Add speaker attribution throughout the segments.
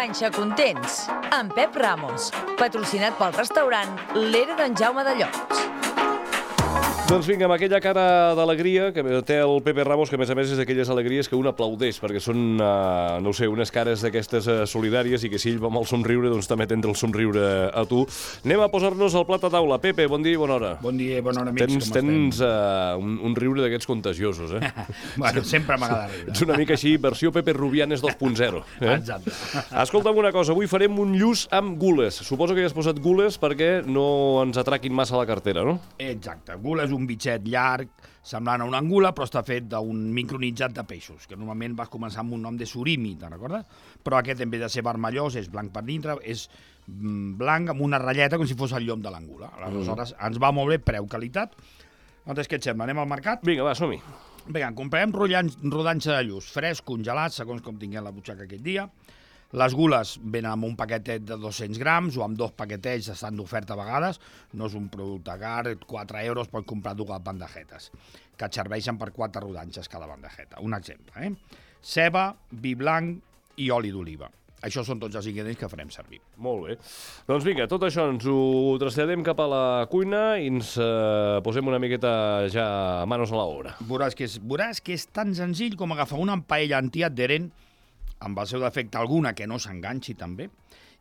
Speaker 1: Panxa Contents, amb Pep Ramos, patrocinat pel restaurant L'Era d'en Jaume de Llots.
Speaker 2: Doncs vinga, amb aquella cara d'alegria que té el Pepe Ramos, que a més és d'aquelles alegries que un aplaudeix, perquè són, no ho sé, unes cares d'aquestes solidàries i que si ell va amb el somriure, doncs també tindrà el somriure a tu. Anem a posar-nos al plat a taula. Pepe, bon dia i bona hora.
Speaker 3: Bon dia i bona hora, amics.
Speaker 2: Tens un riure d'aquests contagiosos, eh?
Speaker 3: Bueno, sempre m'agrada riure.
Speaker 2: Ets una mica així, versió Pepe Rubianes 2.0.
Speaker 3: Exacte.
Speaker 2: Escolta'm una cosa, avui farem un lluç amb gules. Suposo que hi has posat gules perquè no ens atraquin massa la cartera, no?
Speaker 3: Exacte. Gula és un bitxet llarg, semblant a una angula, però està fet d'un micronitzat de peixos, que normalment vas començar amb un nom de surimi, te'n recordes? Però aquest, en vez de ser vermellós, és blanc per dintre, és blanc amb una ratlleta com si fos el llom de l'angula. Aleshores, ens va molt bé, preu, qualitat. Doncs què et sembla? Anem al mercat?
Speaker 2: Vinga, va, som-hi.
Speaker 3: Vinga, comprem rodanxa de lluç, fresc, congelat, segons com tinguem la butxaca aquell dia. Les gules venen amb un paquetet de 200 grams o amb 2 paquetets, estan d'oferta a vegades. No és un producte car, 4 euros pots comprar 2 bandejetes, que et serveixen per 4 rodanxes cada bandejeta. Un exemple, Ceba, vi blanc i oli d'oliva. Això són tots els ingredients que farem servir.
Speaker 2: Molt bé. Doncs vinga, tot això ens ho traslladem cap a la cuina i ens posem una miqueta ja manos a l'obra.
Speaker 3: Veuràs que és tan senzill com agafar una paella antiadherent, amb el seu defecte alguna que no s'enganxi també.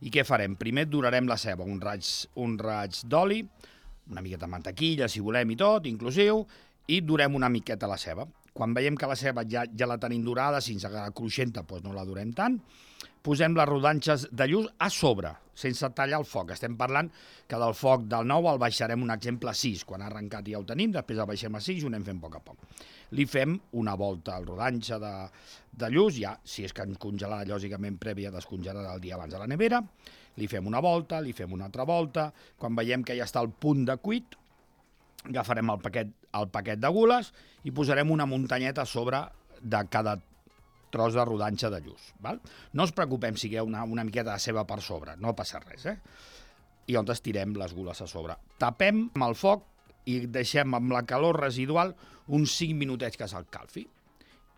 Speaker 3: I què farem? Primer durarem la ceba, un raig d'oli, una miqueta de mantequilla, si volem i tot, inclusiu, i durem una miqueta la ceba. Quan veiem que la ceba ja la tenim dorada, si ens agrada cruixenta, doncs no la durem tant, posem les rodanxes de lluç a sobre, sense tallar el foc. Estem parlant que del foc del 9 el baixarem, un exemple, a 6. Quan ha arrencat ja ho tenim, després el baixem a 6 i ho anem fent a poc a poc. Li fem una volta al rodanxa de lluç, ja, si és que ens congelarà, lògicament, prèvia descongelada el dia abans a la nevera. Li fem una volta, li fem una altra volta. Quan veiem que ja està al punt de cuit, agafarem el paquet de gules i posarem una muntanyeta a sobre de cada tros de rodanxa de lluç. Val? No us preocupem si hi ha una miqueta de ceba per sobre, no passa res. I on estirem les gules a sobre. Tapem amb el foc i deixem amb la calor residual uns 5 minutets que s'escalfi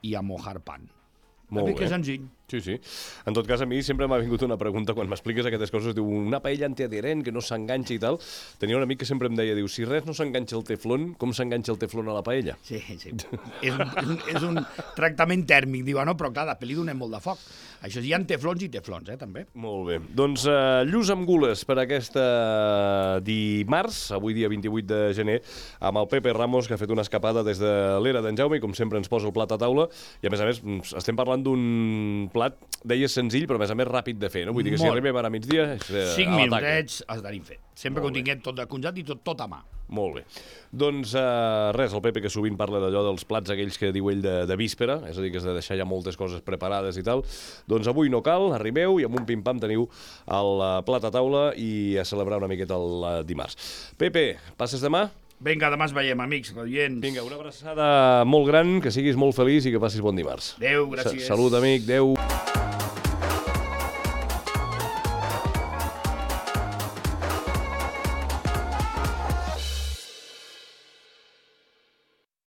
Speaker 3: i a mojar pan.
Speaker 2: Molt bé.
Speaker 3: Que senzill.
Speaker 2: Sí, sí. En tot cas, a mi sempre m'ha vingut una pregunta quan m'expliques aquestes coses. Diu, una paella antiadherent que no s'enganxa i tal. Tenia un amic que sempre em deia, diu, si res no s'enganxa el teflon, com s'enganxa el teflon a la paella?
Speaker 3: Sí. és un tractament tèrmic. Diu, no, però clar, després li donem molt de foc. Això hi ha teflons i teflons, també.
Speaker 2: Molt bé. Doncs lluç amb gules per aquesta dimarts, avui dia 28 de gener, amb el Pepe Ramos, que ha fet una escapada des de l'Era d'en Jaume i com sempre ens posa el plat a taula. I a més, estem parlant d'un plat, deies senzill, però a més ràpid de fer, no? Vull dir que si arribem ara a migdia...
Speaker 3: 5 minutets es tenim fet. Sempre que ho tinguem tot de congelat i tot a mà.
Speaker 2: Molt bé. Doncs res, el Pepe que sovint parla d'allò dels plats aquells que diu ell de víspera, és a dir, que has de deixar ja moltes coses preparades i tal, doncs avui no cal, arribeu i amb un pim-pam teniu el plat a taula i a celebrar una miqueta el dimarts. Pepe, passes demà?
Speaker 3: Vinga, demà ens veiem, amics, radients.
Speaker 2: Vinga, una abraçada molt gran, que siguis molt feliç i que passis bon dimarts.
Speaker 3: Adéu, gràcies.
Speaker 2: Salut, amic, adéu.